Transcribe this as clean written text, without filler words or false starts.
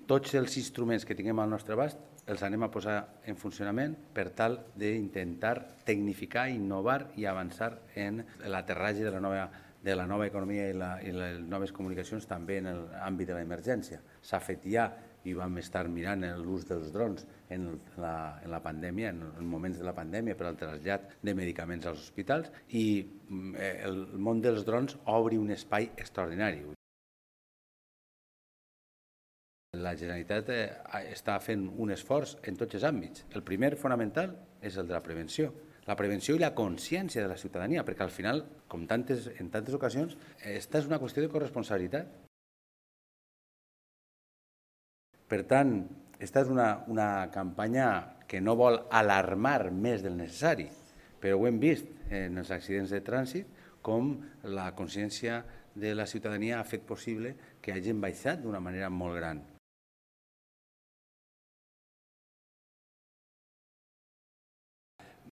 tots els instruments que tinguem al nostre abast els anem a posar en funcionament per tal d'intentar tecnificar, innovar i avançar en l'aterratge de la nova economia i les noves comunicacions també en l'àmbit de l'emergència. S'ha fet ja i vam estar mirant l'ús dels drons en la pandèmia, en moments de la pandèmia per al trasllat de medicaments als hospitals i el món dels drons obre un espai extraordinari. La Generalitat està fent un esforç en tots els àmbits. El primer fonamental és el de la prevenció. La prevenció i la consciència de la ciutadania, perquè al final, com en tantes ocasions, esta és una qüestió de corresponsabilitat. Per tant, esta és una campanya que no vol alarmar més del necessari, però ho hem vist en els accidents de trànsit, com la consciència de la ciutadania ha fet possible que hagin baixat d'una manera molt gran.